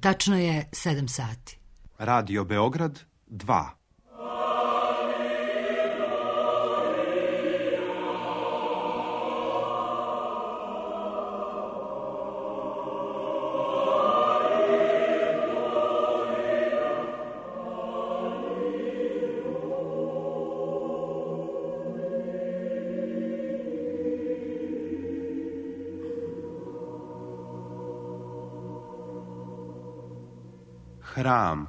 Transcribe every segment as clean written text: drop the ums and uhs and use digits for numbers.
Tačno je 7 sati. Radio Beograd 2. Hram.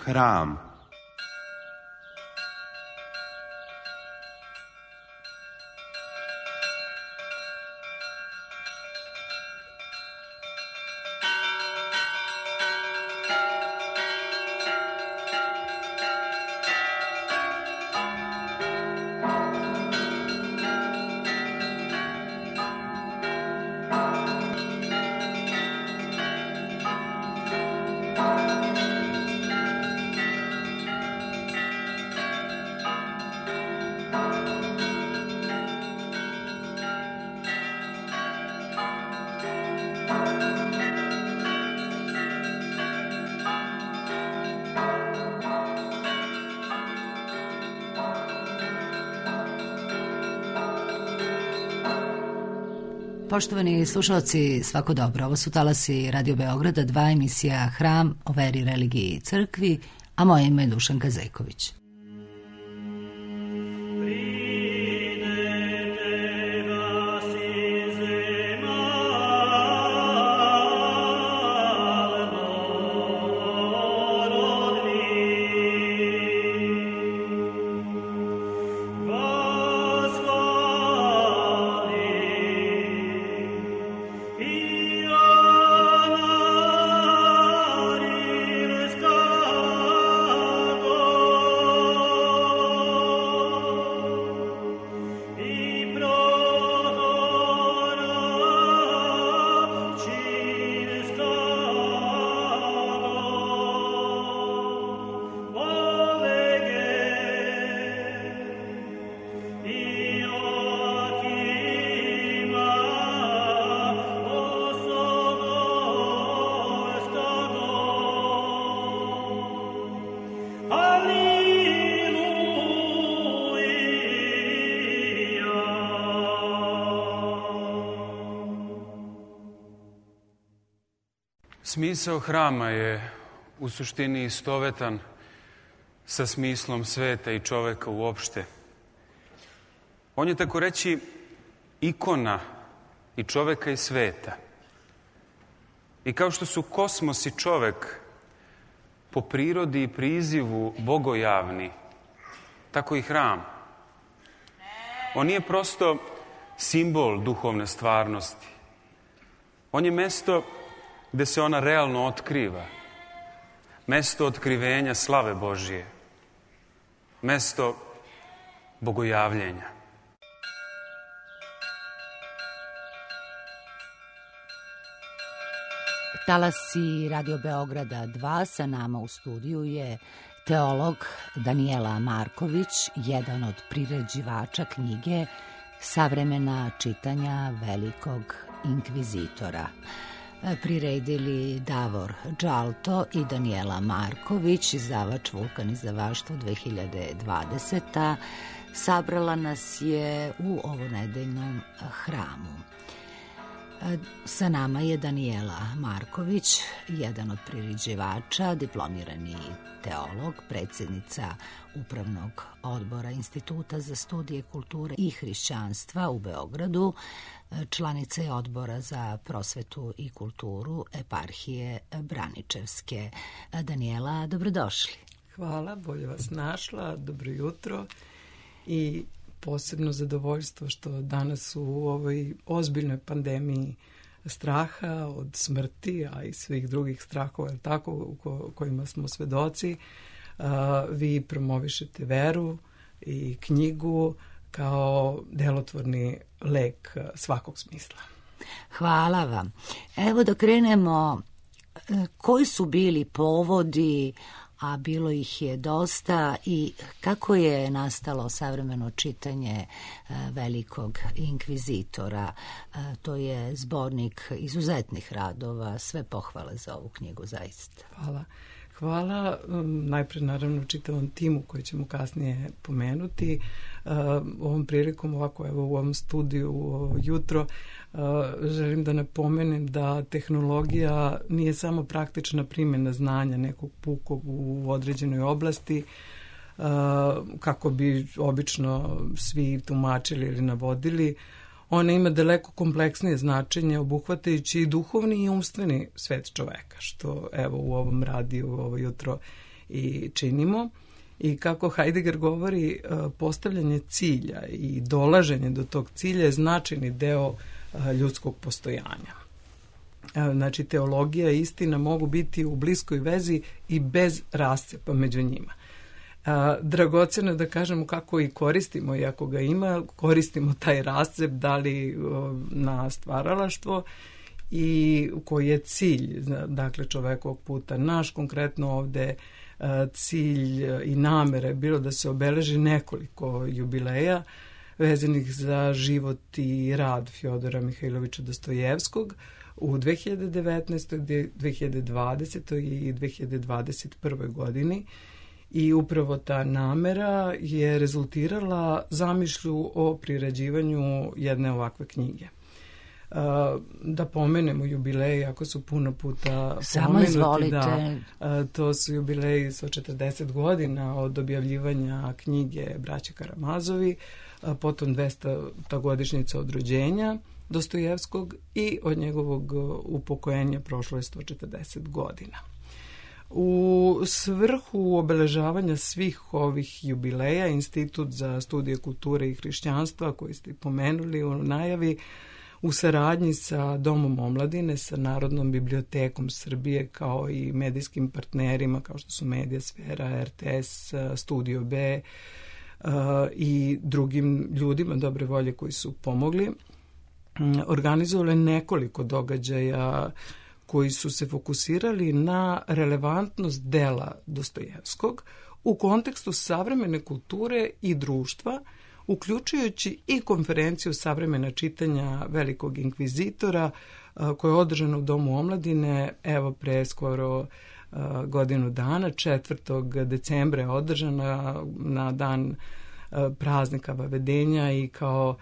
Hram. Poštovani slušalci, svako dobro. Ovo su talasi Radio Beograda 2, emisija Hram o veri, religiji i crkvi, a moje ime je Dušanka Zejković. Smisao hrama je u suštini istovetan sa smislom sveta i čoveka uopšte. On je, tako reći, ikona i čoveka i sveta. I kao što su kosmos i čovek po prirodi i prizivu bogojavni, tako i hram. On nije prosto simbol duhovne stvarnosti. On je mesto gde se ona realno otkriva. Mesto otkrivenja slave Božije. Mesto bogojavljenja. Talasi Radio Beograda 2, sa nama u studiju je teolog Danijela Marković, jedan od priređivača knjige Savremena čitanja velikog inkvizitora. Priredili Davor Džalto i Danijela Marković, izdavač Vulkan izdavaštvo 2020. Sabrala nas je u ovonedeljnom hramu. Sa nama je Danijela Marković, jedan od priređivača, diplomirani teolog, predsjednica Upravnog odbora Instituta za studije kulture i hrišćanstva u Beogradu, članica je Odbora za prosvetu i kulturu Eparhije Braničevske. Danijela, dobrodošli. Hvala, bolje vas našla, dobro jutro i posebno zadovoljstvo što danas u ovoj ozbiljnoj pandemiji straha od smrti, a i svih drugih strahova, tako, kojima smo svedoci, vi promovišete veru i knjigu kao delotvorni lek svakog smisla. Hvala vam. Evo da krenemo, koji su bili povodi, a bilo ih je dosta, i kako je nastalo savremeno čitanje velikog inkvizitora? To je zbornik izuzetnih radova, sve pohvale za ovu knjigu, zaista. Hvala. Najpre naravno čitavom timu koji ćemo kasnije pomenuti. Ovom prilikom ovako evo u ovom studiju jutro želim da napomenem da tehnologija nije samo praktična primjena znanja nekog pukog u određenoj oblasti, kako bi obično svi tumačili ili navodili. Ona ima daleko kompleksnije značenje, obuhvatajući i duhovni i umstveni svet čoveka, što evo u ovom radiju ovo jutro i činimo. I kako Heidegger govori, postavljanje cilja i dolaženje do tog cilja je značajni deo ljudskog postojanja. Znači, teologija i istina mogu biti u bliskoj vezi i bez rascepa među njima. Dragoceno je da kažemo kako i koristimo, i ako ga ima, koristimo taj rascep, da li na stvaralaštvo i koji je cilj, dakle, čovekovog puta. Naš konkretno ovde cilj i namere bilo da se obeleži nekoliko jubileja vezanih za život i rad Fjodora Mihajlovića Dostojevskog u 2019., 2020. i 2021. godini. I upravo ta namera je rezultirala zamišlju o priređivanju jedne ovakve knjige. Da pomenemo jubileji, ako su puno puta pomenuti, da, to su jubileji sa 40 godina od objavljivanja knjige Braće Karamazovi, potom 200. godišnjica od rođenja Dostojevskog i od njegovog upokojenja prošlo je 140 godina. U svrhu obeležavanja svih ovih jubileja, Institut za studije kulture i hrišćanstva, koji ste pomenuli u najavi, u saradnji sa Domom omladine, sa Narodnom bibliotekom Srbije, kao i medijskim partnerima kao što su Mediasfera, RTS, Studio B i drugim ljudima dobre volje koji su pomogli, organizovali nekoliko događaja koji su se fokusirali na relevantnost dela Dostojevskog u kontekstu savremene kulture i društva, uključujući i konferenciju savremena čitanja velikog inkvizitora koja je održana u Domu omladine, evo pre skoro godinu dana, 4. decembra je održana na dan praznika Vavedenja i kao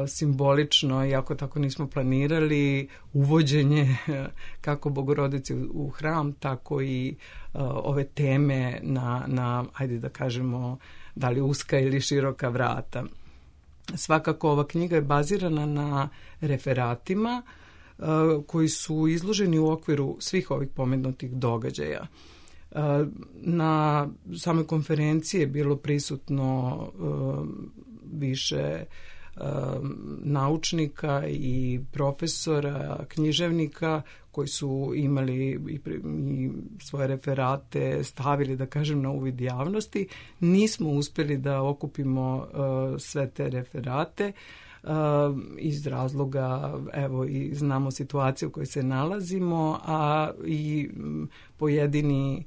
simbolično, iako tako nismo planirali, uvođenje kako Bogorodice u hram, tako i ove teme na, ajde da kažemo, da li uska ili široka vrata. Svakako ova knjiga je bazirana na referatima koji su izloženi u okviru svih ovih pomenutih događaja. Na samoj konferenciji je bilo prisutno više naučnika i profesora, književnika koji su imali i svoje referate stavili, da kažem, na uvid javnosti. Nismo uspjeli da okupimo sve te referate iz razloga, evo, i znamo situaciju u kojoj se nalazimo, a i pojedini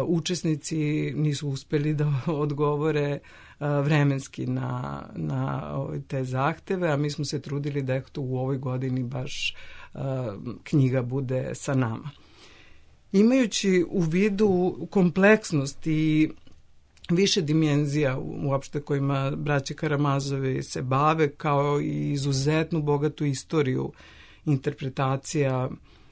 učesnici nisu uspjeli da odgovore vremenski na te zahteve, a mi smo se trudili da u ovoj godini baš knjiga bude sa nama. Imajući u vidu kompleksnost i više dimenzija uopšte kojima braće Karamazovi se bave, kao i izuzetnu bogatu istoriju interpretacija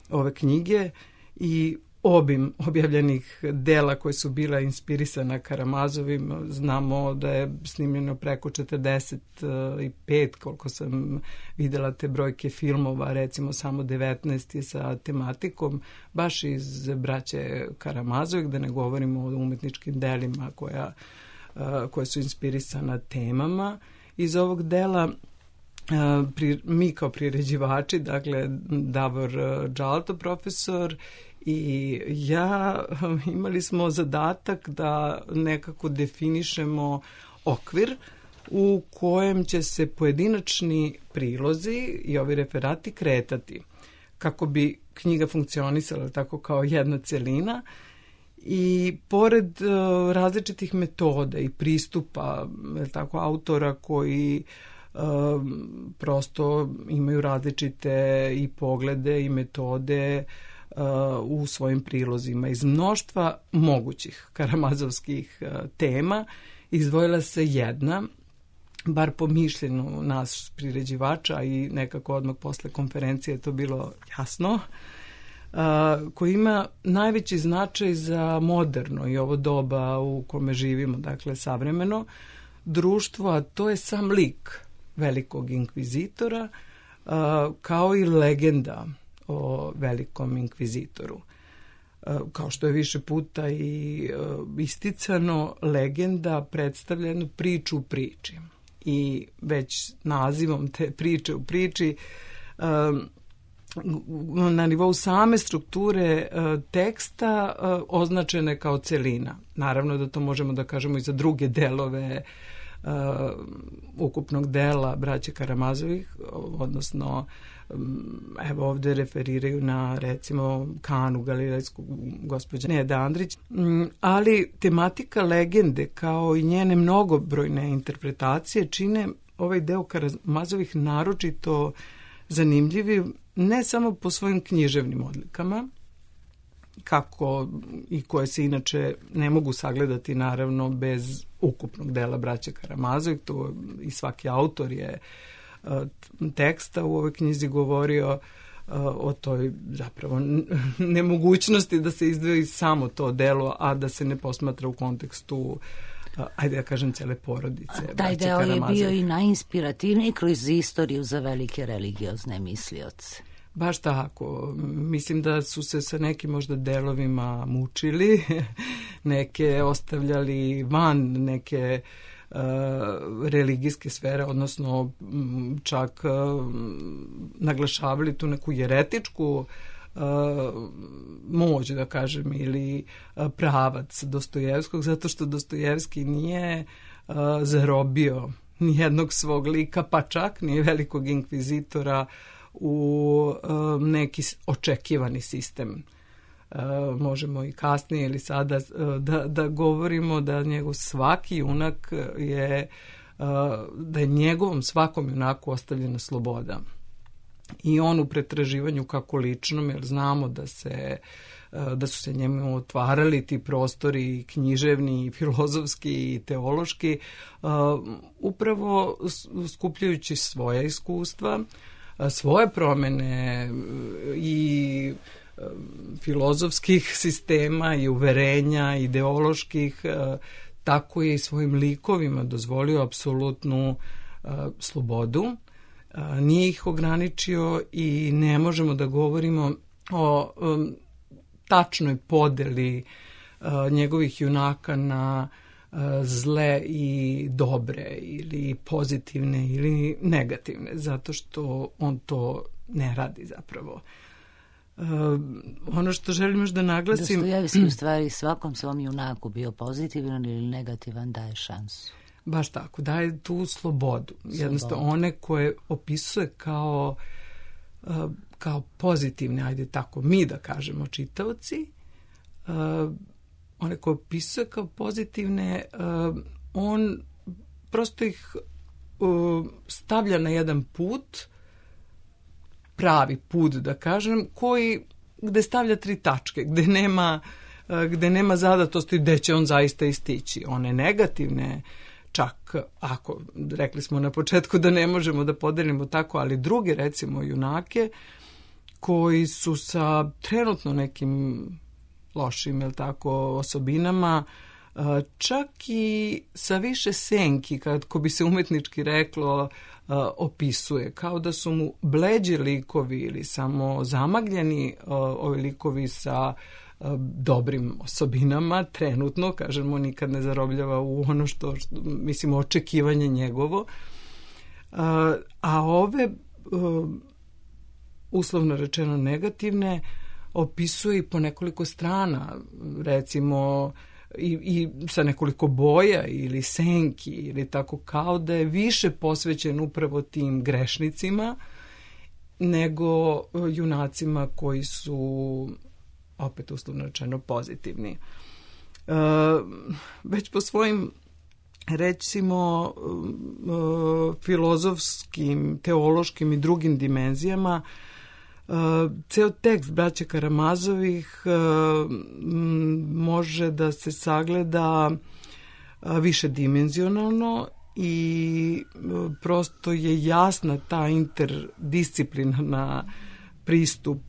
ove knjige i obim objavljenih dela koje su bila inspirisana Karamazovim. Znamo da je snimljeno preko 45, koliko sam videla te brojke, filmova, recimo samo 19 je sa tematikom baš iz braće Karamazovih, da ne govorimo o umetničkim delima koja su inspirisana temama iz ovog dela. mi kao priređivači, dakle Davor Džalto profesor i ja, imali smo zadatak da nekako definišemo okvir u kojem će se pojedinačni prilozi i ovi referati kretati kako bi knjiga funkcionisala tako kao jedna celina. I pored različitih metoda i pristupa tako, autora koji prosto imaju različite i poglede i metode u svojim prilozima. Iz mnoštva mogućih karamazovskih tema izdvojila se jedna, bar po mišljenju nas priređivača i nekako odmah posle konferencije je to bilo jasno, koji ima najveći značaj za moderno i ovo doba u kome živimo, dakle savremeno društvo, a to je sam lik velikog inkvizitora, kao i legenda o velikom inkvizitoru. Kao što je više puta i isticano, legenda predstavlja jednu priču u priči. I već nazivom te priče u priči na nivou same strukture teksta označene kao celina. Naravno da to možemo da kažemo i za druge delove ukupnog dela braće Karamazovih, odnosno evo ovde referiraju na recimo Kanu Galilejsku gospođa Neda Andrić, ali tematika legende kao i njene mnogobrojne interpretacije čine ovaj deo Karamazovih naročito zanimljivi ne samo po svojim književnim odlikama, kako i koje se inače ne mogu sagledati naravno bez ukupnog dela braće Karamazovih, to i svaki autor je teksta u ovoj knjizi govorio o toj zapravo nemogućnosti da se izdvoji samo to delo, a da se ne posmatra u kontekstu ajde da kažem cele porodice. Taj deo je bio i najinspirativniji kroz istoriju za velike religiozne mislioce. Baš tako. Mislim da su se sa nekim možda delovima mučili, neke ostavljali van neke religijske sfere, odnosno čak naglašavali tu neku jeretičku moć, da kažem, ili pravac Dostojevskog, zato što Dostojevski nije zarobio nijednog svog lika, pa čak nije velikog inkvizitora u neki očekivani sistem. Možemo i kasnije ili sada da govorimo da njegov svaki junak je, da je njegovom svakom junaku ostavljena sloboda. I on u pretraživanju kako ličnom, jer znamo da su se njemu otvarali ti prostori književni, i filozofski i teološki, upravo skupljajući svoja iskustva, svoje promene i filozofskih sistema i uverenja, ideoloških, tako je i svojim likovima dozvolio apsolutnu slobodu. Nije ih ograničio i ne možemo da govorimo o tačnoj podeli njegovih junaka na zle i dobre ili pozitivne ili negativne, zato što on to ne radi zapravo. Ono što želim još da naglasim... Dostojevski u stvari svakom svom junaku bio pozitivan ili negativan daje šansu. Baš tako, daje tu slobodu. Jednostavno one koje opisuje kao pozitivne, ajde tako mi da kažemo čitaoci, one koje opisuje kao pozitivne, on prosto ih stavlja na jedan put, pravi put da kažem, gde stavlja 3 tačke, gde nema zadatosti gde će on zaista istići. One negativne, čak ako rekli smo na početku da ne možemo da podelimo tako, ali druge recimo junake koji su sa trenutno nekim lošim, jel tako, osobinama, čak i sa više senki, kako bi se umetnički reklo, opisuje, kao da su mu bleđi likovi ili samo zamagljeni ovi likovi sa dobrim osobinama, trenutno, kažemo, nikad ne zarobljava u ono što mislim, očekivanje njegovo. A ove, uslovno rečeno negativne, opisuje i po nekoliko strana, recimo i sa nekoliko boja ili senki ili tako, kao da je više posvećen upravo tim grešnicima nego junacima koji su, opet uslovno rečeno, pozitivni. Već po svojim, recimo, filozofskim, teološkim i drugim dimenzijama, ceo tekst braće Karamazovih može da se sagleda višedimenzionalno i prosto je jasna ta interdisciplinarna pristup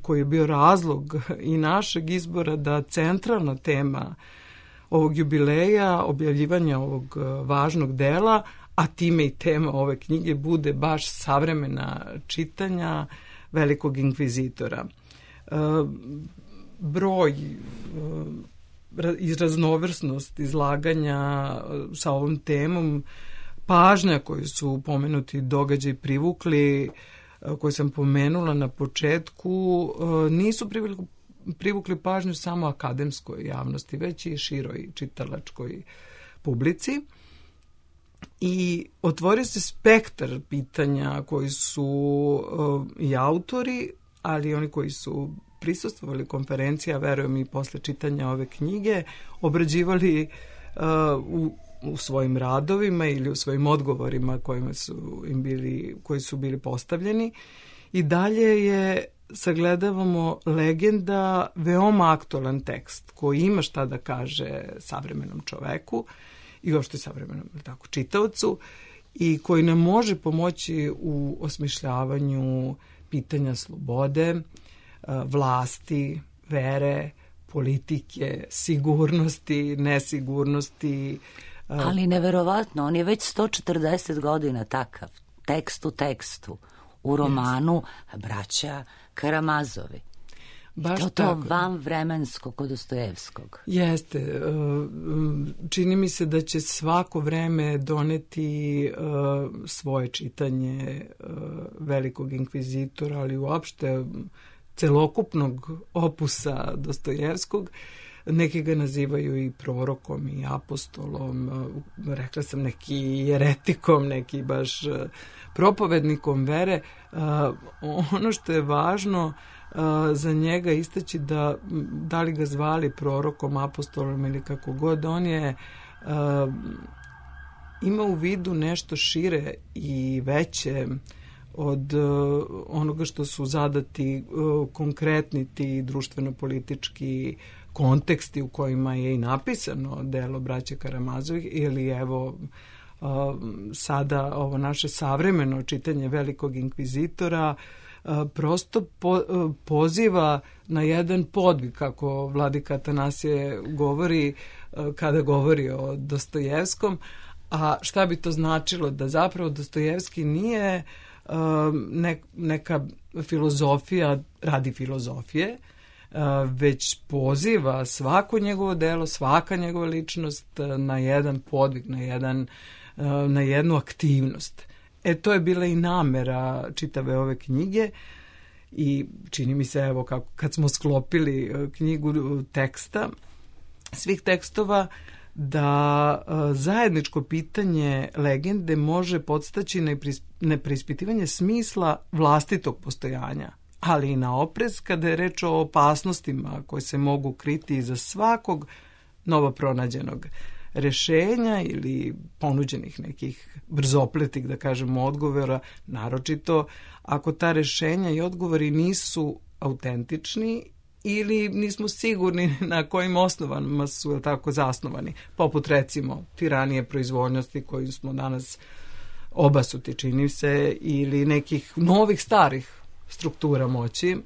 koji je bio razlog i našeg izbora da centralna tema ovog jubileja, objavljivanja ovog važnog dela, a time i tema ove knjige, bude baš savremena čitanja velikog inkvizitora. Broj i raznovrsnost izlaganja sa ovom temom, pažnja koju su pomenuti događaji privukli, koje sam pomenula na početku, nisu privukli pažnju samo akademskoj javnosti, već i široj čitalačkoj publici. I otvorio se spektar pitanja koji su i autori, ali oni koji su prisustvovali konferencija, verujem i posle čitanja ove knjige, obrađivali u svojim radovima ili u svojim odgovorima koji su bili postavljeni. I dalje je, sagledavamo, legenda, veoma aktualan tekst koji ima šta da kaže savremenom čoveku i uopšte savremenom čitaocu, i koji nam može pomoći u osmišljavanju pitanja slobode, vlasti, vere, politike, sigurnosti, nesigurnosti. Ali neverovatno, on je već 140 godina takav, tekst u tekstu, u romanu braća Karamazovi. Baš to vanvremensko kod Dostojevskog. Jeste. Čini mi se da će svako vreme doneti svoje čitanje velikog inkvizitora, ali uopšte celokupnog opusa Dostojevskog. Neki ga nazivaju i prorokom i apostolom, rekla sam neki jeretikom, neki baš propovednikom vere. Ono što je važno za njega istaći, da li ga zvali prorokom, apostolom ili kako god, on je ima u vidu nešto šire i veće od onoga što su zadati konkretni ti društveno-politički konteksti u kojima je i napisano delo braće Karamazovih, ili evo sada ovo naše savremeno čitanje velikog inkvizitora prosto poziva na jedan podvig, kako vladika Atanasije govori kada govori o Dostojevskom. A šta bi to značilo? Da zapravo Dostojevski nije neka filozofija radi filozofije, već poziva svako njegovo delo, svaka njegova ličnost na jedan podvig, na jednu aktivnost. To je bila i namera čitave ove knjige i čini mi se, evo, kad smo sklopili knjigu teksta, svih tekstova, da zajedničko pitanje legende može podstaći na preispitivanje smisla vlastitog postojanja, ali i na oprez kada je reč o opasnostima koje se mogu kriti iza svakog novo pronađenog rešenja ili ponuđenih nekih brzopletih, da kažemo, odgovora, naročito ako ta rešenja i odgovori nisu autentični ili nismo sigurni na kojim osnovama su tako zasnovani, poput recimo tiranije proizvoljnosti koju smo danas obasuti, čini se, ili nekih novih starih struktura moći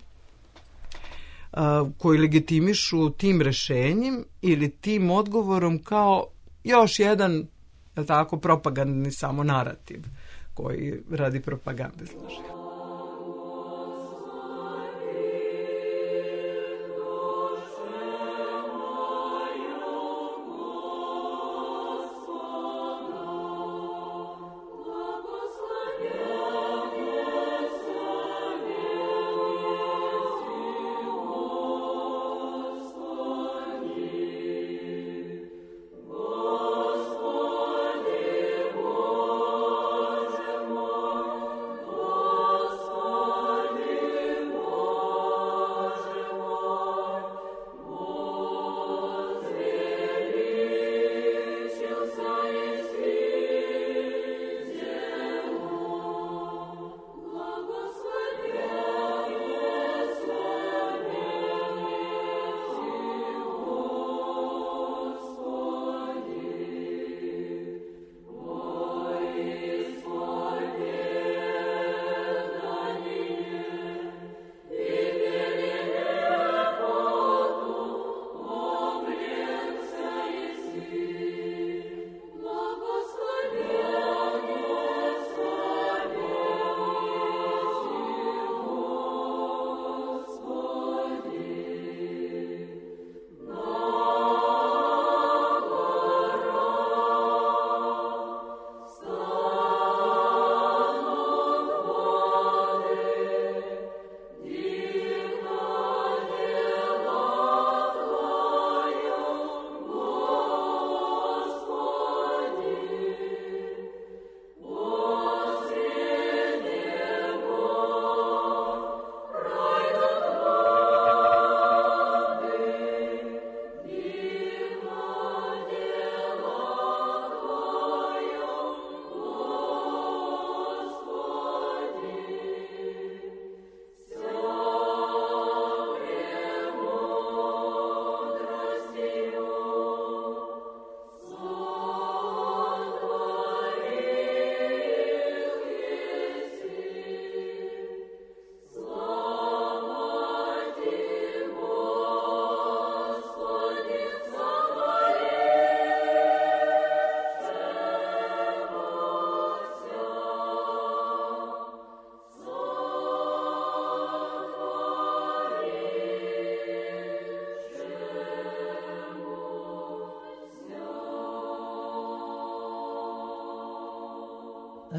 koji legitimišu tim rešenjem ili tim odgovorom kao još jedan, tako, propagandni samo narativ koji radi propagande služi.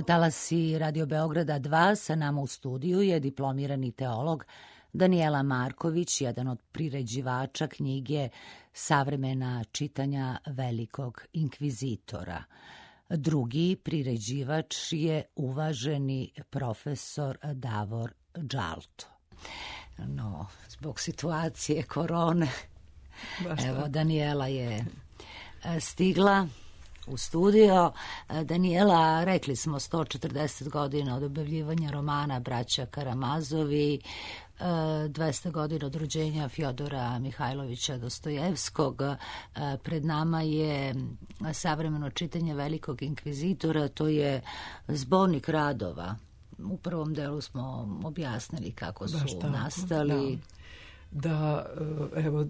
Talasi Radio Beograda 2, sa nama u studiju je diplomirani teolog Danijela Marković, jedan od priređivača knjige Savremena čitanja velikog inkvizitora. Drugi priređivač je uvaženi profesor Davor Džalto. No, zbog situacije korone, evo, Danijela je stigla u studio. Danijela, rekli smo 140 godina od objavljivanja romana Braća Karamazovi, 200 godina od rođenja Fjodora Mihajlovića Dostojevskog. Pred nama je savremeno čitanje velikog inkvizitora, to je zbornik radova. U prvom delu smo objasnili kako su nastali. Da, evo,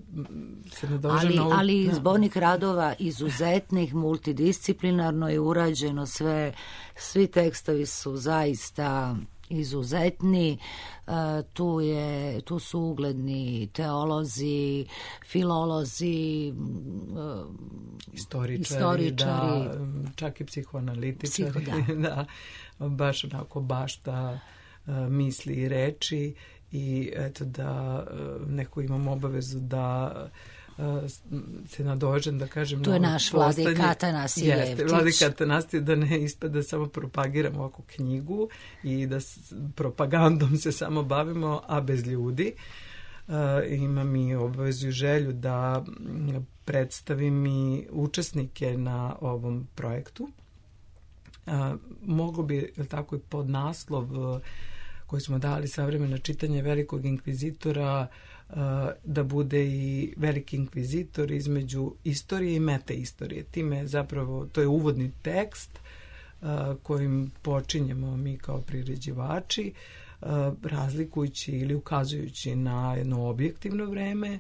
se nadožem na ovu... Ali zbornik radova izuzetnih, multidisciplinarno je urađeno sve, svi tekstovi su zaista izuzetni, tu su ugledni teolozi, filolozi, istoričari, da, čak i psihoanalitičari, da, baš onako bašta misli i reči. I eto da neko imam obavezu da se nadožem, da kažem... Tu je naš Vladika Atanasije Jevtić. Jeste, Vladika Atanasije, da ne ispada samo propagiram ovakvu knjigu i da propagandom se samo bavimo, a bez ljudi. Imam i obavezu i želju da predstavim i učesnike na ovom projektu. Mogu bi, tako i pod naslov koji smo dali savremeno čitanje velikog inkvizitora, da bude i veliki inkvizitor između istorije i metaistorije. Time zapravo, to je uvodni tekst kojim počinjemo mi kao priređivači, razlikujući ili ukazujući na jedno objektivno vreme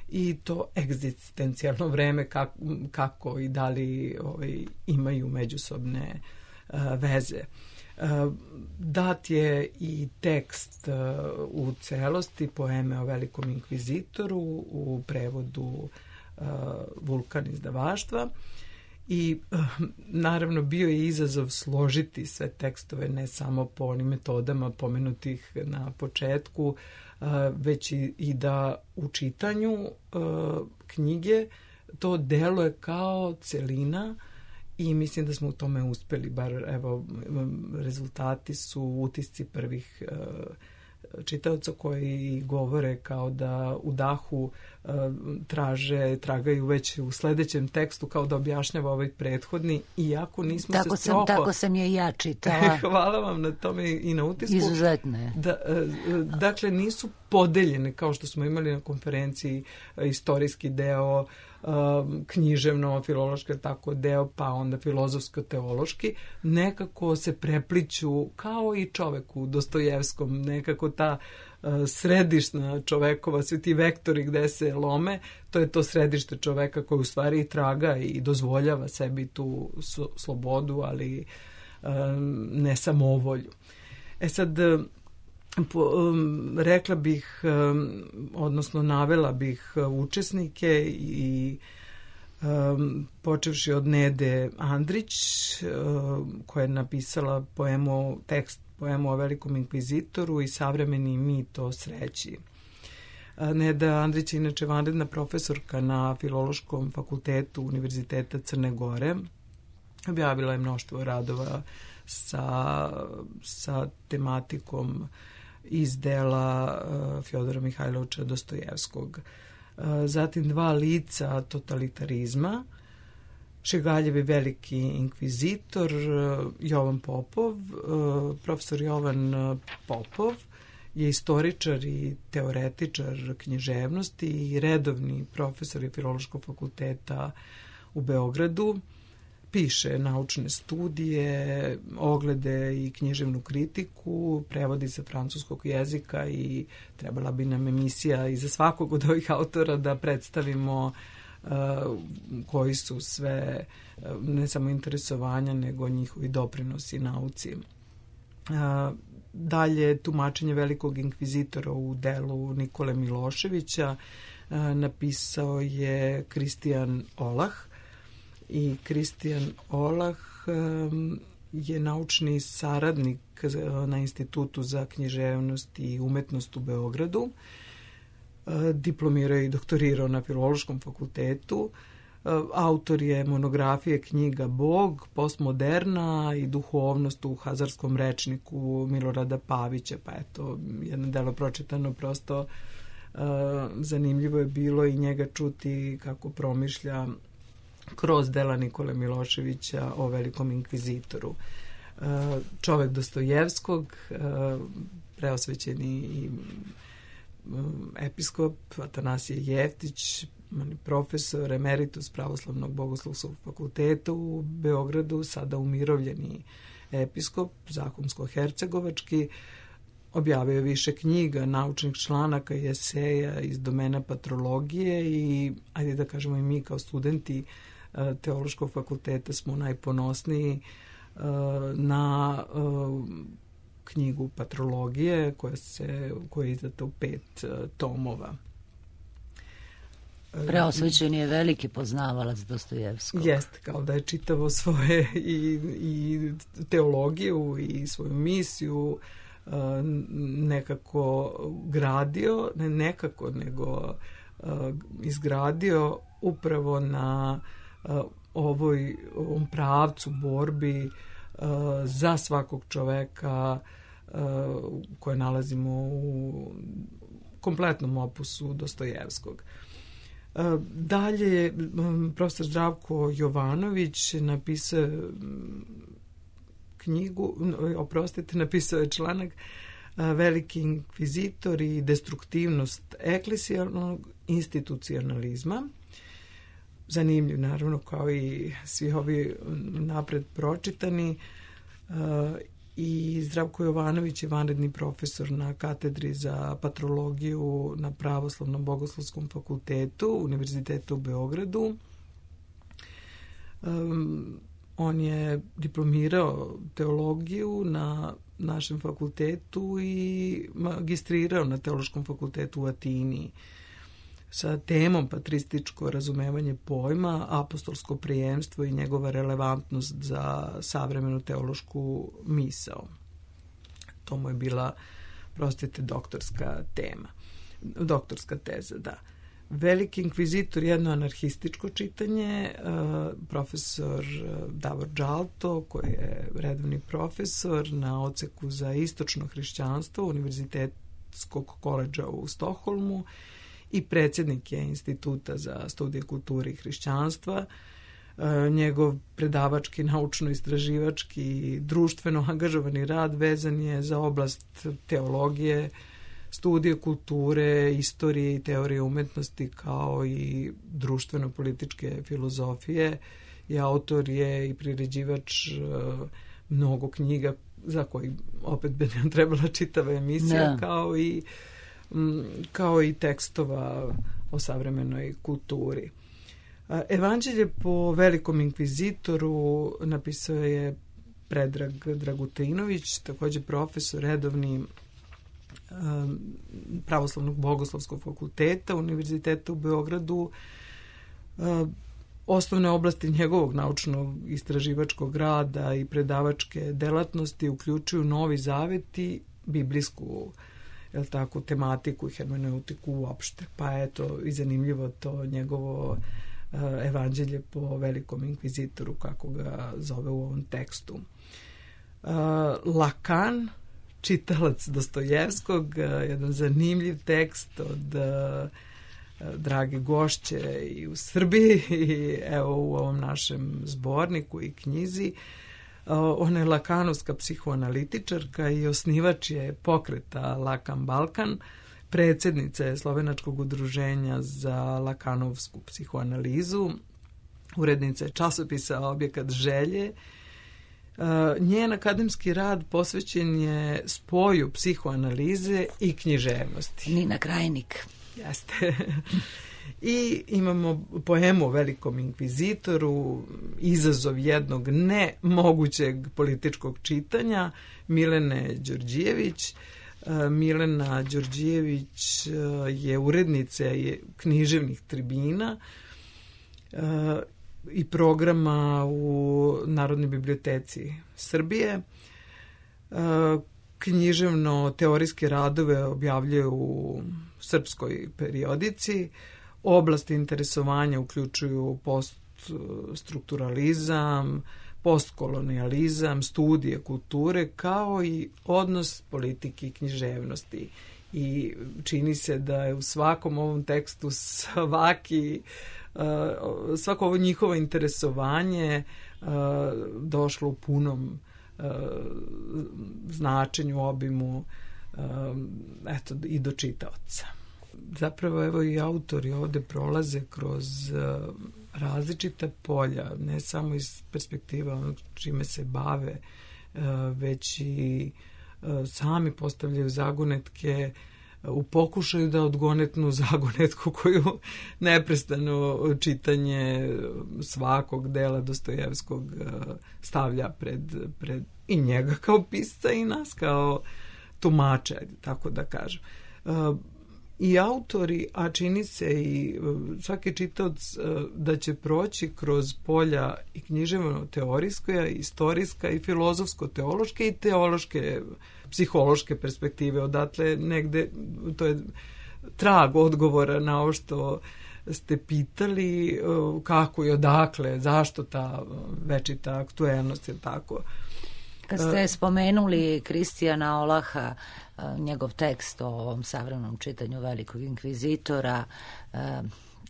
i to egzistencijalno vreme, kako i da li imaju međusobne veze. Dat je i tekst u celosti poeme o velikom inkvizitoru u prevodu Vulkan izdavaštva i naravno bio je izazov složiti sve tekstove, ne samo po onim metodama pomenutih na početku, već i da u čitanju knjige to deluje kao celina. I mislim da smo u tome uspeli, bar evo, rezultati su utisci prvih čitaoca koji govore kao da u dahu tragaju već u sledećem tekstu kao da objašnjava ovaj prethodni, iako nismo Tako sam je i ja čitala. Hvala vam na tome i na utisku. Izuzetne. Dakle, nisu podeljene kao što smo imali na konferenciji istorijski deo, književno, filološki tako deo, pa onda filozofsko-teološki, nekako se prepliću kao i čovek u Dostojevskom, nekako ta središna čovekova, svi ti vektori gde se lome, to je to središte čoveka koji u stvari traga i dozvoljava sebi tu slobodu, ali ne samovolju. Sad, rekla bih, odnosno navela bih učesnike i počevši od Nede Andrić, koja je napisala tekst poemu o velikom inkvizitoru i savremeni mit o sreći. Neda Andrić je inače vanredna profesorka na Filološkom fakultetu Univerziteta Crne Gore. Objavila je mnoštvo radova sa tematikom iz dela Fjodora Mihajlovića Dostojevskog. Zatim dva lica totalitarizma, Šegaljevi veliki inkvizitor, Jovan Popov. Profesor Jovan Popov je istoričar i teoretičar književnosti i redovni profesor je Filološkog fakulteta u Beogradu. Piše naučne studije, oglede i književnu kritiku, prevodi sa francuskog jezika i trebala bi nam emisija i za svakog od ovih autora da predstavimo koji su sve, ne samo interesovanja, nego njihovi doprinosi nauci. Dalje, tumačenje velikog inkvizitora u delu Nikole Miloševića napisao je Kristijan Olah. I Kristijan Olah je naučni saradnik na Institutu za književnost i umetnost u Beogradu. Diplomirao i doktorirao na Filološkom fakultetu. Autor je monografije knjiga Bog, postmoderna i duhovnost u hazarskom rečniku Milorada Pavića. Pa eto, jedno delo pročitano, prosto zanimljivo je bilo i njega čuti kako promišlja kroz dela Nikole Miloševića o velikom inkvizitoru. Čovek Dostojevskog, preosvećeni i episkop Atanasije Jeftić, profesor emeritus Pravoslavnog bogoslovskog fakulteta u Beogradu, sada umirovljeni episkop, zakonsko-hercegovački, objavio je više knjiga, naučnih članaka i eseja iz domena patrologije i, ajde da kažemo i mi kao studenti Teološkog fakulteta smo najponosniji na knjigu Patrologije koja je izdata u 5 tomova. Preosvećen je veliki poznavalac Dostojevskog. Jeste, kao da je čitavo svoje i teologiju i svoju misiju nekako gradio, ne nekako, nego izgradio upravo na ovom pravcu borbi za svakog čoveka koje nalazimo u kompletnom opusu Dostojevskog. Dalje, profesor Zdravko Jovanović napisao napisao je članak Veliki inkvizitor i destruktivnost eklesijalnog institucionalizma. Zanimljiv, naravno, kao i svi ovi napred pročitani. I Zdravko Jovanović je vanredni profesor na katedri za patrologiju na Pravoslavnom bogoslovskom fakultetu Univerziteta u Beogradu. On je diplomirao teologiju na našem fakultetu i magistrirao na Teološkom fakultetu u Atini sa temom patrističko razumevanje pojma, apostolsko prijemstvo i njegova relevantnost za savremenu teološku misao. To mu je bila, prostite, doktorska teza, da. Veliki inkvizitor, jedno anarhističko čitanje, profesor Davor Džalto, koji je redovni profesor na odseku za istočno hrišćanstvo Univerzitetskog koledža u Stokholmu i predsjednik je Instituta za studije kulture i hrišćanstva. Njegov predavački, naučno-istraživački i društveno angažovani rad vezan je za oblast teologije, studije kulture, istorije i teorije umetnosti, kao i društveno-političke filozofije. I autor je i priređivač mnogo knjiga za koji opet bi nam trebala čitava emisija, kao i tekstova o savremenoj kulturi. Evanđelje po velikom inkvizitoru napisao je Predrag Dragutinović, također profesor redovni Pravoslavnog bogoslovskog fakulteta Univerziteta u Beogradu. Osnovne oblasti njegovog naučnog istraživačkog rada i predavačke delatnosti uključuju Novi Zavet i biblijsku tematiku i hermeneutiku uopšte. Pa eto, i zanimljivo to njegovo evanđelje po velikom inkvizitoru, kako ga zove u ovom tekstu. Lakan, čitalac Dostojevskog, jedan zanimljiv tekst od drage gošće i u Srbiji i evo u ovom našem zborniku i knjizi. Ona je lakanovska psihoanalitičarka i osnivač je pokreta Lakan Balkan, predsjednica je Slovenačkog udruženja za lakanovsku psihoanalizu, urednica je časopisa Objekat želje. Njen akademski rad posvećen je spoju psihoanalize i književnosti. Nina Krajnik. Jeste. I imamo poemu o velikom inkvizitoru, izazov jednog nemogućeg političkog čitanja, Milene Đorđijević. Milena Đorđijević je urednica književnih tribina i programa u Narodnoj biblioteci Srbije. Književno-teorijske radove objavljaju u srpskoj periodici. Oblasti interesovanja uključuju poststrukturalizam, postkolonijalizam, studije kulture, kao i odnos politike i književnosti. I čini se da je u svakom ovom tekstu svako ovo njihovo interesovanje došlo u punom značenju, obimu, i do čitaoca. Zapravo, evo, i autori ovde prolaze kroz različita polja, ne samo iz perspektiva onog čime se bave, već i sami postavljaju zagonetke u pokušaju da odgonetnu zagonetku koju neprestano čitanje svakog dela Dostojevskog stavlja pred i njega kao pisca i nas kao tumača, tako da kažem. I autori, a čini se i svaki čitaoc da će proći kroz polja i književno-teorijska, istorijska i filozofsko-teološke i teološke, psihološke perspektive. Odatle negde, to je trag odgovora na ovo što ste pitali, kako i odakle, zašto ta večita aktuelnost, je tako. Kad ste spomenuli Kristijana Olaha, njegov tekst o ovom savremenom čitanju Velikog inkvizitora,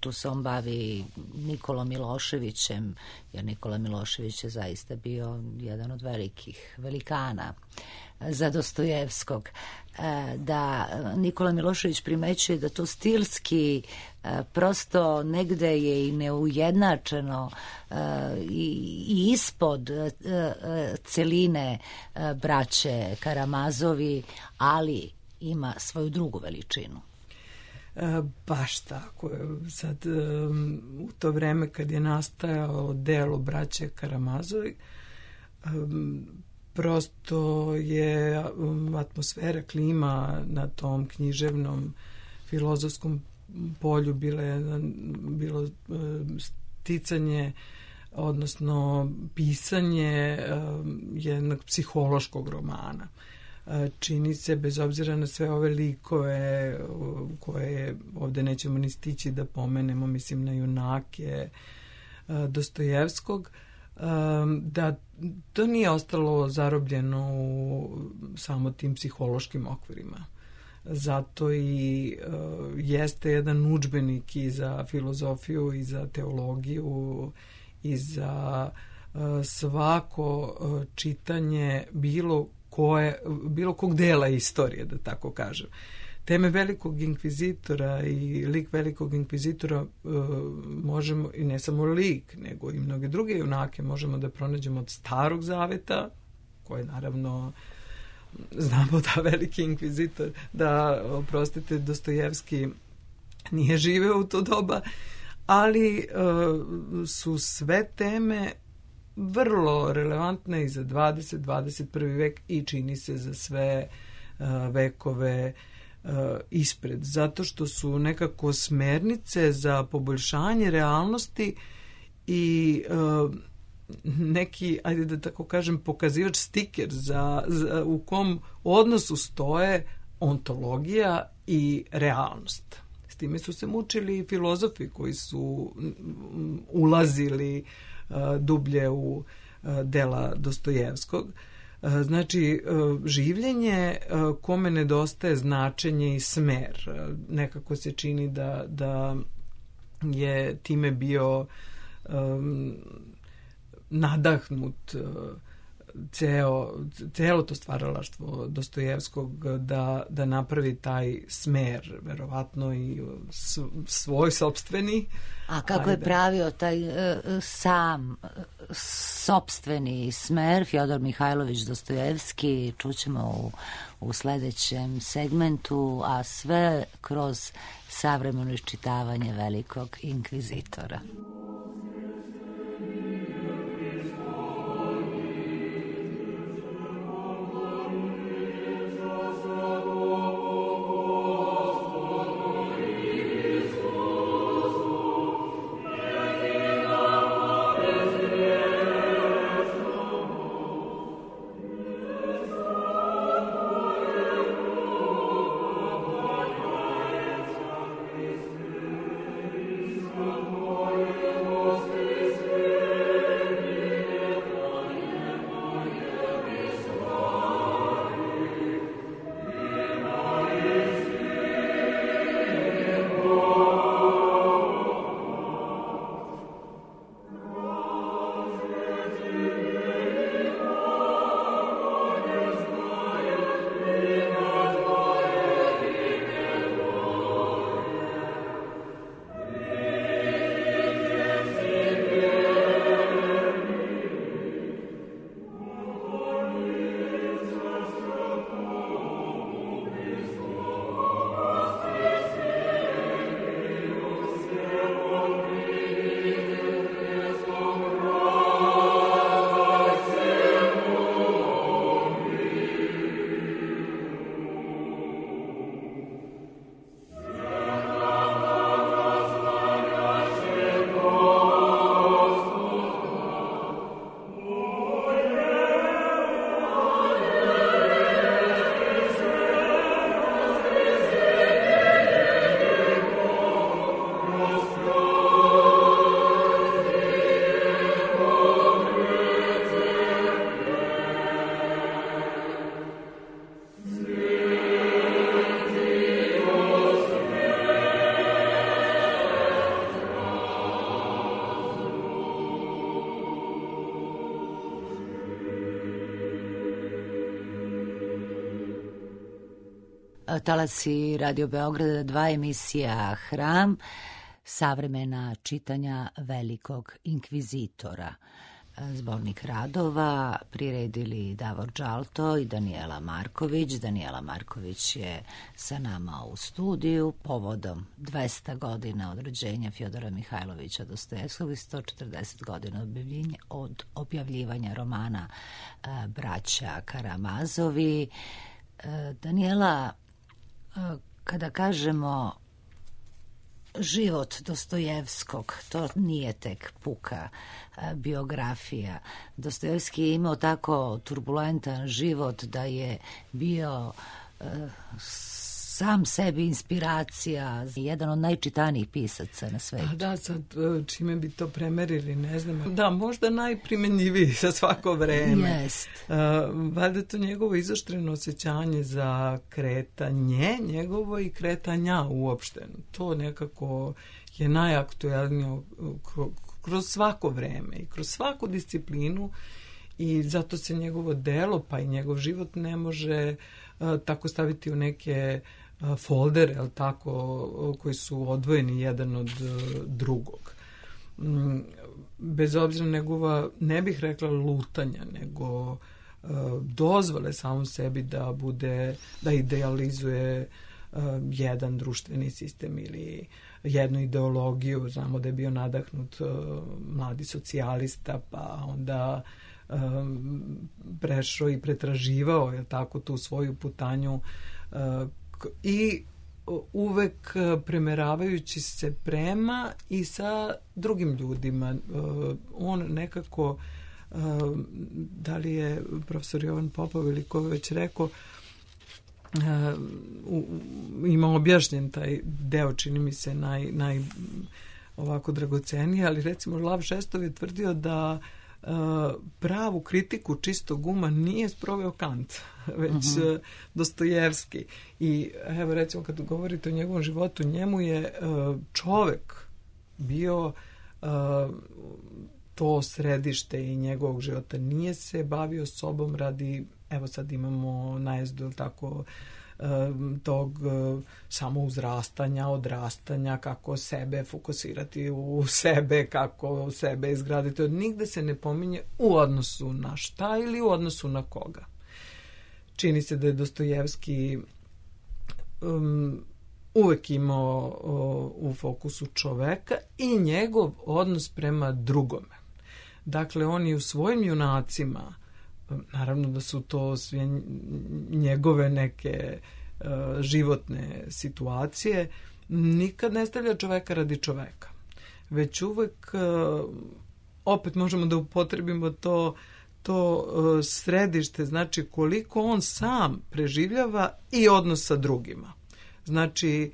tu se on bavi Nikolom Miloševićem, jer Nikola Milošević je zaista bio jedan od velikih velikana za Dostojevskog. Da Nikola Milošević primećuje da to stilski prosto negde je i neujednačeno i ispod celine braće Karamazovi, ali ima svoju drugu veličinu. Baš tako. Sad, u to vreme kad je nastajao delo braće Karamazovi, prosto je atmosfera, klima na tom književnom filozofskom polju bilo sticanje, odnosno pisanje jednog psihološkog romana. Čini se, bez obzira na sve ove likove koje ovde nećemo ni stići da pomenemo, mislim na junake Dostojevskog, da to nije ostalo zarobljeno u samo tim psihološkim okvirima. Zato i jeste jedan udžbenik i za filozofiju i za teologiju i za svako čitanje bilo kog dela istorije, da tako kažem. Teme Velikog inkvizitora i lik Velikog inkvizitora možemo, i ne samo lik, nego i mnoge druge junake možemo da pronađemo od Starog zaveta, koje naravno znamo da Veliki inkvizitor, da, oprostite, Dostojevski nije živeo u to doba, ali su sve teme vrlo relevantne i za 20. 21. vek i čini se za sve vekove ispred, zato što su nekako smernice za poboljšanje realnosti i neki, ajde da tako kažem, pokazivač, stiker u kom odnosu stoje ontologija i realnost. S time su se mučili filozofi koji su ulazili dublje u dela Dostojevskog. Znači, življenje kome nedostaje značenje i smer. Nekako se čini da je time bio nadahnut celo to stvaralaštvo Dostojevskog da napravi taj smer, verovatno i svoj sopstveni. A kako je pravio taj sam sopstveni smer Fjodor Mihajlović Dostojevski, čućemo u sledećem segmentu, a sve kroz savremeno iščitavanje Velikog inkvizitora. talasi Radio Beograda, 2 emisija Hram, savremena čitanja velikog inkvizitora. Zbornik radova priredili Davor Đalto i Danijela Marković. Danijela Marković je sa nama u studiju povodom 200 godina od rođenja Fjodora Mihajlovića Dostojevskog i 140 godina od objavljivanja romana Braća Karamazovi. Danijela, kada kažemo život Dostojevskog, to nije tek puka biografija. Dostojevski je imao tako turbulentan život da je bio sam sebi inspiracija, jedan od najčitanijih pisaca na svetu. Da, sad čime bi to premerili, ne znam. Da, možda najprimenjiviji za svako vreme. Jest. Valjda to njegovo izoštreno osjećanje za kretanje, njegovo i kretanja uopšte. To nekako je najaktuelnije kroz svako vreme i kroz svaku disciplinu i zato se njegovo delo pa i njegov život ne može tako staviti u neke foldere, ali tako, koji su odvojeni jedan od drugog. Bez obzira njegova, ne bih rekla lutanja, nego dozvole samom sebi da idealizuje jedan društveni sistem ili jednu ideologiju. Znamo da je bio nadahnut mladi socijalista, pa onda prešao i pretraživao, je tako, tu svoju putanju i uvek premeravajući se prema i sa drugim ljudima. On nekako, da li je profesor Jovan Popov ili ko već rekao, ima objašnjen taj deo, čini mi se naj ovako dragocenije, ali recimo Lav Šestov je tvrdio da pravu kritiku čistog uma nije sproveo Kant, već Dostojevski. I evo recimo kad govorite o njegovom životu, njemu je čovek bio to središte i njegovog života. Nije se bavio sobom radi, evo sad imamo najezdu tako tog samouzrastanja, odrastanja, kako sebe fokusirati u sebe, kako sebe izgraditi. Nigde se ne pominje u odnosu na šta ili u odnosu na koga. Čini se da je Dostojevski uvek imao u fokusu čoveka i njegov odnos prema drugome. Dakle, on i u svojim junacima, naravno da su to sve njegove neke životne situacije, nikad ne stavlja čoveka radi čoveka. Već uvek, opet možemo da upotrebimo to središte, znači koliko on sam preživljava i odnos sa drugima. Znači,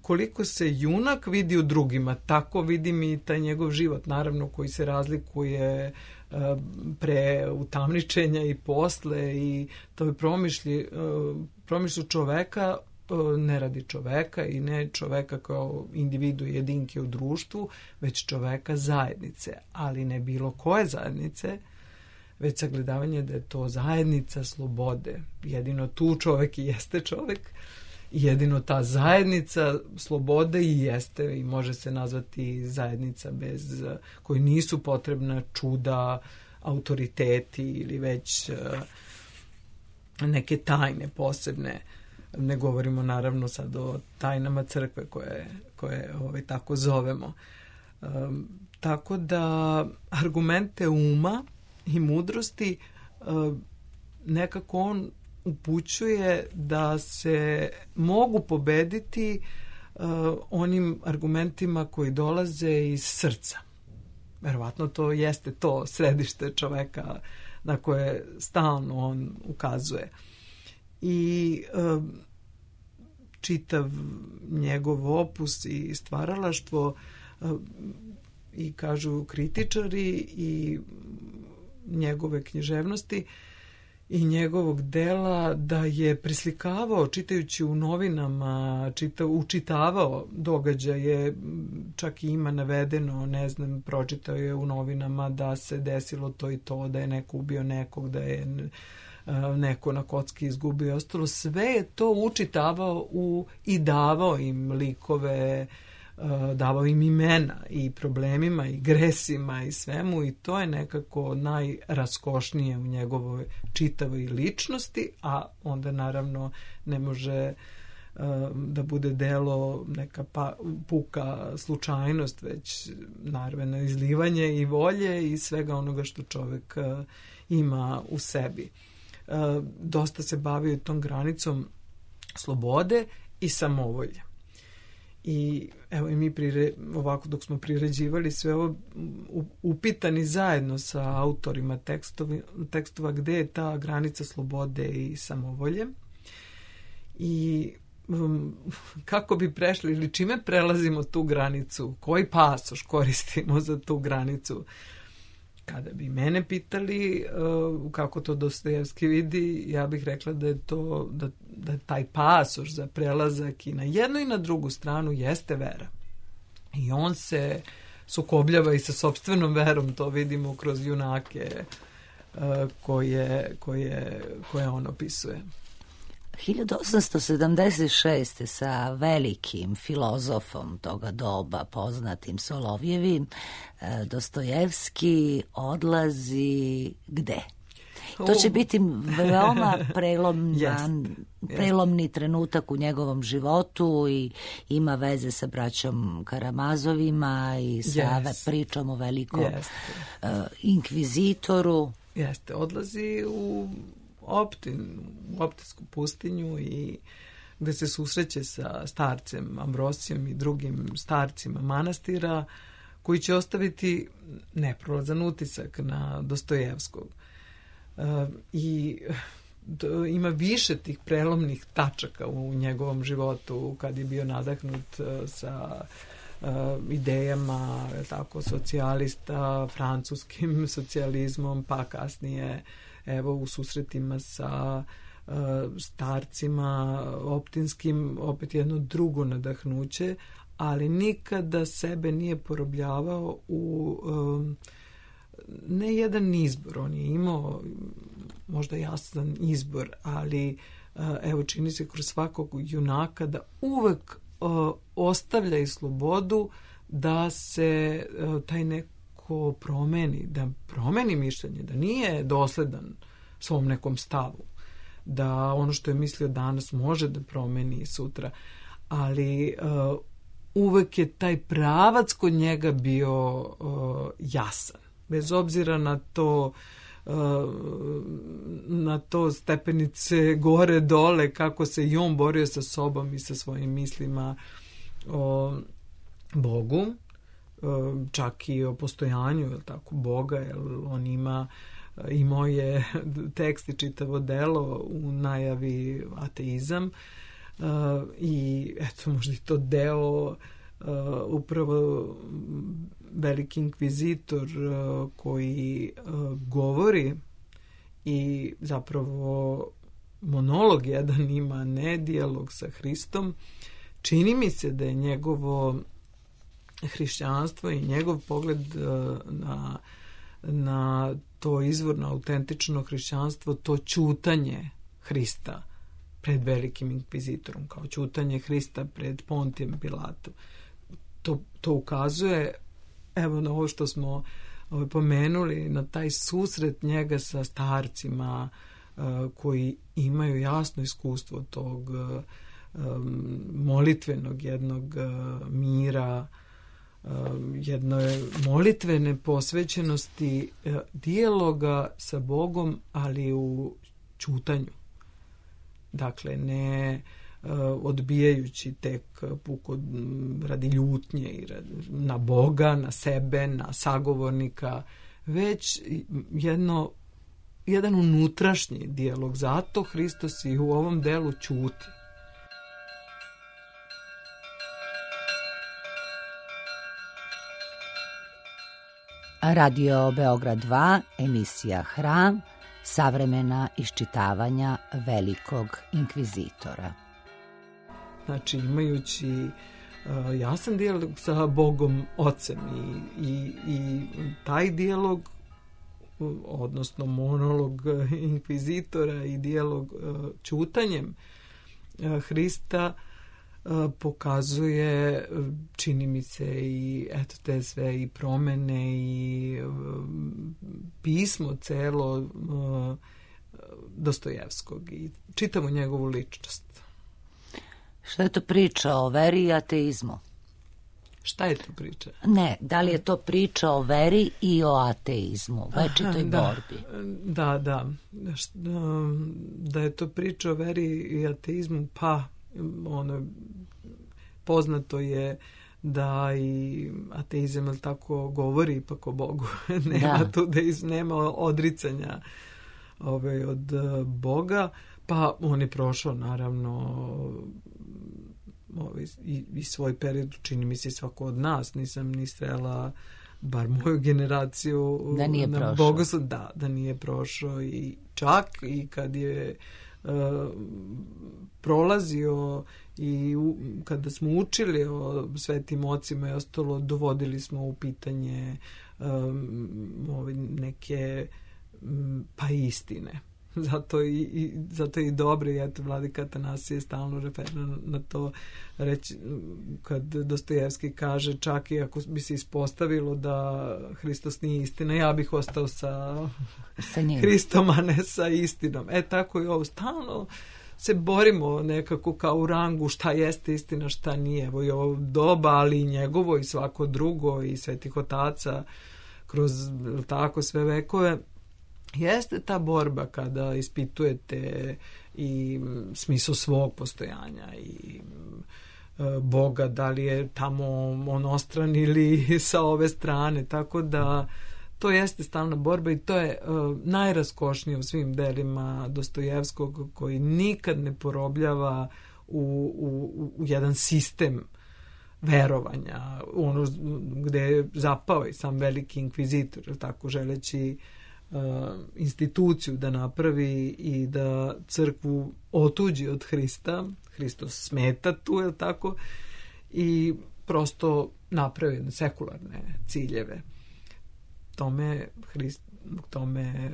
koliko se junak vidi u drugima, tako vidim i taj njegov život, naravno, koji se razlikuje pre utamničenja i posle i to je promišlju čoveka, ne radi čoveka i ne čoveka kao individu jedinke u društvu, već čoveka zajednice, ali ne bilo koje zajednice, već sagledavanje da je to zajednica slobode. Jedino tu čovek i jeste čovek, jedino ta zajednica slobode i jeste i može se nazvati zajednica bez koji nisu potrebna čuda, autoriteti ili već neke tajne posebne. Ne govorimo naravno sad o tajnama crkve koje tako zovemo. Tako da argumente uma i mudrosti nekako on upućuje da se mogu pobediti onim argumentima koji dolaze iz srca. Verovatno to jeste to središte čoveka na koje stalno on ukazuje. I čitav njegov opus i stvaralaštvo i kažu kritičari i njegove književnosti i njegovog dela da je preslikavao čitajući u novinama, učitavao događaje, čak i ima navedeno, ne znam, pročitao je u novinama da se desilo to i to, da je neko ubio nekog, da je neko na kocki izgubio i ostalo. Sve je to učitavao i davao im likove, davao im imena i problemima i gresima i svemu, i to je nekako najraskošnije u njegovoj čitavoj ličnosti, a onda naravno ne može da bude delo neka puka slučajnost, već naravno izlivanje i volje i svega onoga što čovek ima u sebi. Dosta se bavio tom granicom slobode i samovolje. I evo i mi ovako dok smo priređivali sve ovo, upitani zajedno sa autorima tekstova gde je ta granica slobode i samovolje i kako bi prešli ili čime prelazimo tu granicu, koji pasoš koristimo za tu granicu. Kada bi mene pitali kako to Dostojevski vidi, ja bih rekla da je to da je taj pasoš za prelazak i na jednu i na drugu stranu jeste vera. I on se sukobljava i sa sopstvenom verom, to vidimo kroz junake koje on opisuje. 1876. sa velikim filozofom toga doba, poznatim Solovjevim, Dostojevski odlazi gde? To će biti veoma prelomni trenutak u njegovom životu i ima veze sa braćom Karamazovima i sa pričom o velikom inkvizitoru. Jeste, odlazi u Optinsku pustinju i gde se susreće sa starcem Ambrosijom i drugim starcima manastira koji će ostaviti neprolazan utisak na Dostojevskog. I ima više tih prelomnih tačaka u njegovom životu kad je bio nadahnut sa idejama tako socijalista, francuskim socijalizmom, pa kasnije evo u susretima sa starcima optinskim, opet jedno drugo nadahnuće, ali nikada sebe nije porobljavao u ne jedan izbor. On je imao možda jasan izbor, ali evo čini se kroz svakog junaka da uvek ostavlja i slobodu da se taj neko promeni, da promeni mišljenje, da nije dosledan svom nekom stavu, da ono što je mislio danas može da promeni sutra, ali uvek je taj pravac kod njega bio jasan, bez obzira na to stepenice gore dole, kako se i on borio sa sobom i sa svojim mislima o Bogu, čak i o postojanju tako Boga, jer on imao je tekst i čitavo delo u najavi ateizam, i eto možda i to deo upravo veliki inkvizitor koji govori i zapravo monolog jedan ima, ne dijalog sa Hristom. Čini mi se da je njegovo hrišćanstvo i njegov pogled na to izvorno autentično hrišćanstvo, to ćutanje Hrista pred velikim inkvizitorom, kao ćutanje Hrista pred Pontijem Pilatom. To ukazuje, evo na ovo što smo pomenuli, na taj susret njega sa starcima koji imaju jasno iskustvo tog molitvenog jednog mira, jedne molitvene posvećenosti, dijaloga sa Bogom, ali u ćutanju. Dakle, ne odbijajući tek puko radi ljutnje i na Boga, na sebe, na sagovornika, već jedan unutrašnji dijalog. Zato Hristos i u ovom delu ćuti. Radio Beograd 2, emisija Hram, savremena iščitavanja velikog inkvizitora. Znači, imajući jasan dijalog sa Bogom Ocem i taj dijalog odnosno monolog inkvizitora i dijalog ćutanjem Hrista pokazuje, čini mi se, i eto te sve i promene i pismo celo Dostojevskog i čitamo njegovu ličnost. Šta je to priča o veri i ateizmu? Šta je to priča? Ne, da li je to priča o veri i o ateizmu, večitoj borbi? Da je to priča o veri i ateizmu, pa poznato je da i ateizam, ali tako, govori ipak o Bogu. Nema tu nema odricanja od Boga, pa on je prošao naravno i svoj period, čini mi se svako od nas, nisam ni srela bar moju generaciju da nije na bogoslužju, da nije prošao, i čak i kad je prolazio i kada smo učili o svetim ocima i ostalo, dovodili smo u pitanje neke pa istine. Zato je i dobro, i eto Vladika Atanasije stalno referira na to, reći, kad Dostojevski kaže, čak i ako bi se ispostavilo da Hristos nije istina, ja bih ostao sa Hristom, a ne sa istinom. Tako i ovo, stalno se borimo nekako kao u rangu šta jeste istina, šta nije. Evo i ovo doba, ali i njegovo i svako drugo i svetih otaca kroz tako sve vekove. Jeste ta borba kada ispitujete i smisao svog postojanja i Boga, da li je tamo onostran ili sa ove strane, tako da to jeste stalna borba i to je najraskošnije u svim delima Dostojevskog, koji nikad ne porobljava u jedan sistem verovanja, ono gde je zapao i sam veliki inkvizitor, tako, želeći instituciju da napravi i da crkvu otuđi od Hrista. Hristos smeta tu, je tako, i prosto napravi sekularne ciljeve. Tome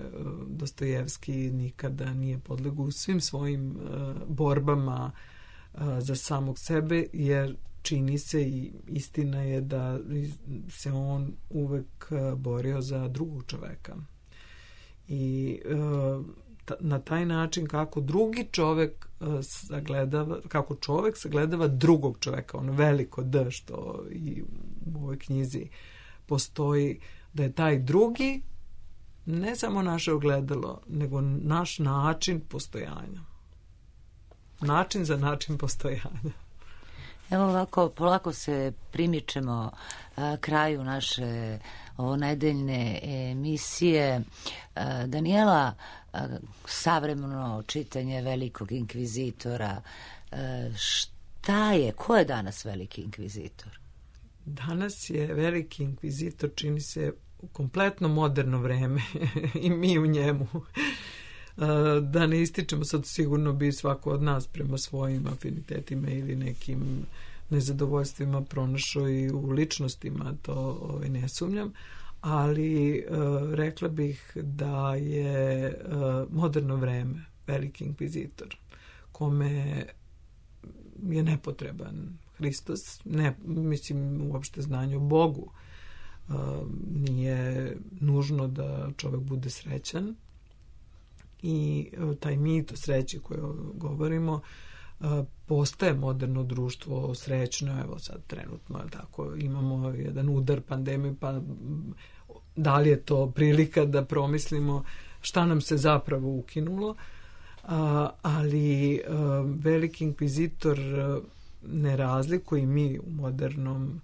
Dostojevski nikada nije podlegao u svim svojim borbama za samog sebe, jer čini se i istina je da se on uvek borio za drugog čoveka. I na taj način kako drugi čovek sagledava, kako čovek sagledava drugog čoveka, ono veliko D što i u ovoj knjizi postoji, da je taj drugi ne samo naše ogledalo, nego naš način postojanja. Način za način postojanja. Evo ovako, polako se primičemo kraju naše nedeljne emisije. Danijela, savremeno čitanje velikog inkvizitora, ko je danas veliki inkvizitor? Danas je veliki inkvizitor, čini se, kompletno moderno vreme i mi u njemu. Da ne ističemo, sad sigurno bi svako od nas prema svojim afinitetima ili nekim nezadovoljstvima pronašao i u ličnostima, to ne sumnjam, ali rekla bih da je moderno vreme veliki inkvizitor, kome je nepotreban Hristos, ne mislim uopšte znanje o Bogu, nije nužno da čovjek bude srećan, i taj mit o sreći koji govorimo postaje moderno društvo srećno. Evo sad trenutno, tako, imamo jedan udar pandemije, pa da li je to prilika da promislimo šta nam se zapravo ukinulo, ali veliki inkvizitor ne razlikuje, i mi u modernom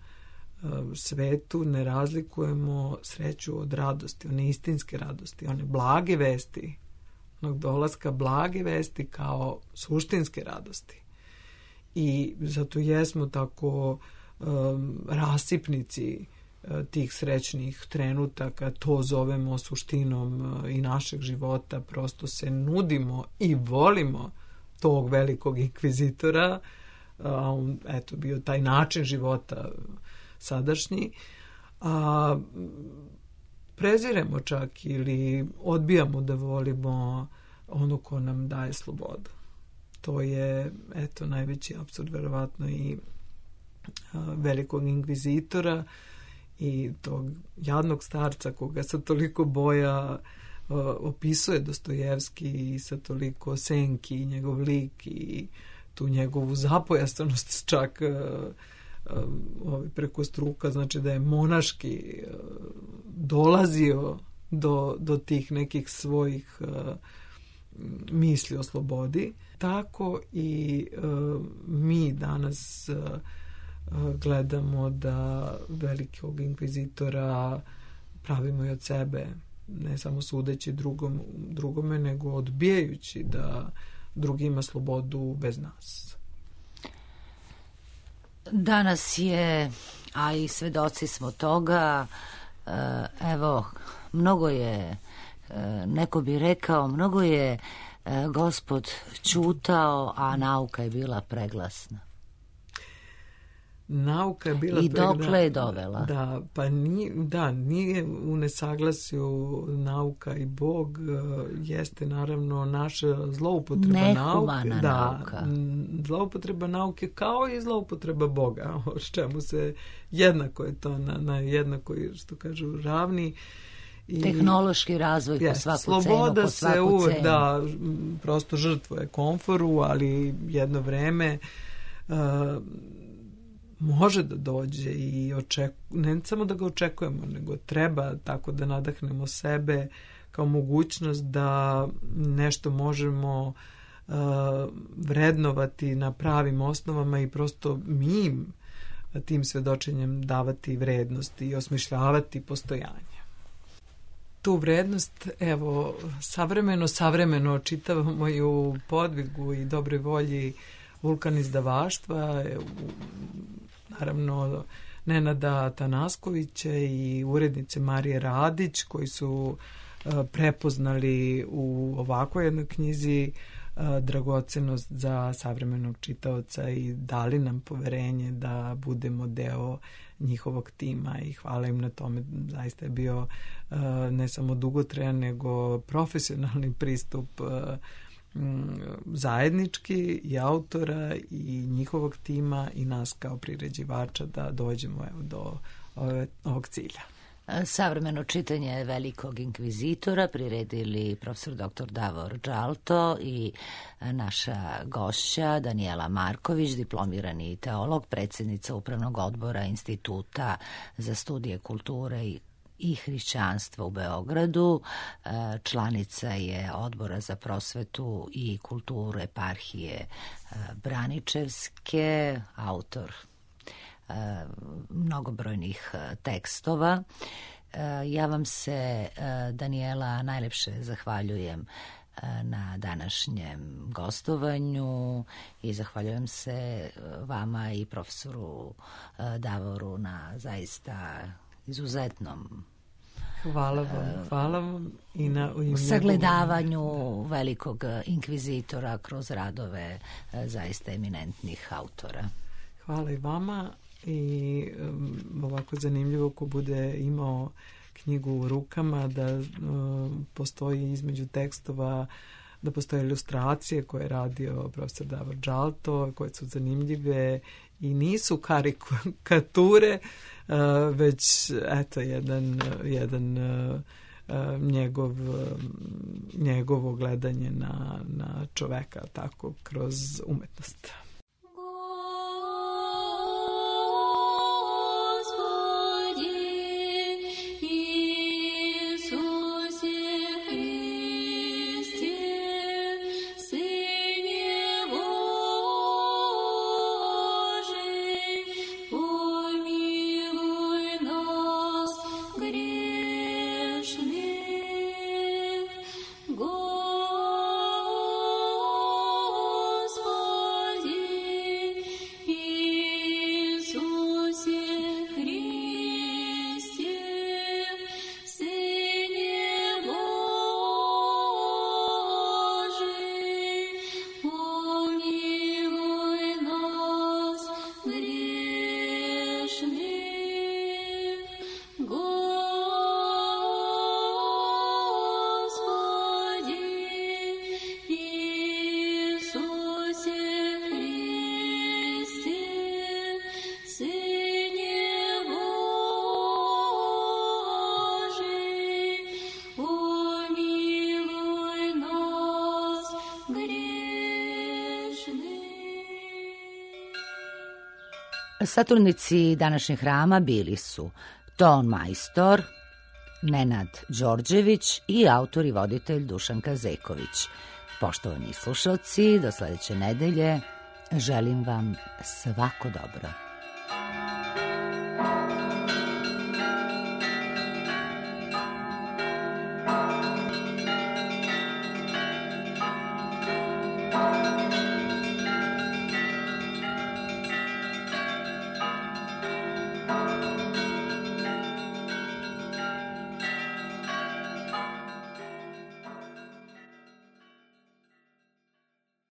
svetu ne razlikujemo sreću od radosti, one istinske radosti, one blage vesti, onog dolaska blage vesti kao suštinske radosti. I zato jesmo tako rasipnici tih srećnih trenutaka, to zovemo suštinom i našeg života, prosto se nudimo i volimo tog velikog inkvizitora, a on, eto, bio taj način života sadašnji, a preziremo čak ili odbijamo da volimo ono ko nam daje slobodu. To je, eto, najveći apsurd verovatno i velikog inkvizitora i tog jadnog starca koga sa toliko boja opisuje Dostojevski i sa toliko senki i njegov lik i tu njegovu zapojasanost čak preko struka, znači da je monaški dolazio do tih nekih svojih misli o slobodi. Tako i mi danas gledamo da velikog inkvizitora pravimo i od sebe, ne samo sudeći drugome, nego odbijajući da drugi ima slobodu bez nas. Danas je, a i svedoci smo toga, evo, mnogo je, neko bi rekao, mnogo je Gospod ćutao, a nauka je bila preglasna. Nauka je bila i dokle je dovela. Da, pa nije u nesaglasju nauka i Bog, jeste naravno naša zloupotreba nauke. Nauka. Zloupotreba nauke kao i zloupotreba Boga, o čemu se jednako je to na jednakoj, što kažu, ravni. Tehnološki razvoj po svaku cenu. Sloboda se uvek, da, prosto žrtvuje komforu, ali jedno vreme može da dođe i ne samo da ga očekujemo, nego treba tako da nadahnemo sebe kao mogućnost da nešto možemo vrednovati na pravim osnovama i prosto mi tim svedočenjem davati vrednost i osmišljavati postojanje. Tu vrednost, evo, savremeno čitavamo i u podvigu i dobroj volji Vulkan izdavaštva, naravno Nenada Tanaskovića i urednice Marije Radić, koji su prepoznali u ovakvoj jednoj knjizi dragocenost za savremenog čitaoca i dali nam poverenje da budemo deo njihovog tima i hvala im na tome. Zaista je bio ne samo dugotrajan, nego profesionalni pristup zajednički i autora i njihovog tima i nas kao priređivača da dođemo do ovog cilja. Savremeno čitanje velikog inkvizitora priredili profesor dr. Davor Džalto i naša gošća Danijela Marković, diplomirani teolog, predsjednica Upravnog odbora Instituta za studije kulture i hrišćanstva u Beogradu, članica je Odbora za prosvetu i kulturu eparhije Braničevske, autor mnogobrojnih tekstova. Ja vam se, Danijela, najlepše zahvaljujem na današnjem gostovanju i zahvaljujem se vama i profesoru Davoru na zaista izuzetnom Hvala vam i na sagledavanju velikog inkvizitora kroz radove zaista eminentnih autora. Hvala i vama i ovako zanimljivo ko bude imao knjigu u rukama da postoji između tekstova, da postoje ilustracije koje je radio profesor Davor Džalto, koje su zanimljive i nisu karikature, već eto jedan njegovo gledanje na čoveka tako kroz umetnost. Господи, Saturnici današnjeg hrama bili su ton majstor Nenad Đorđević i autor i voditelj Dušan Kazeković. Poštovani slušalci, do sledeće nedelje želim vam svako dobro.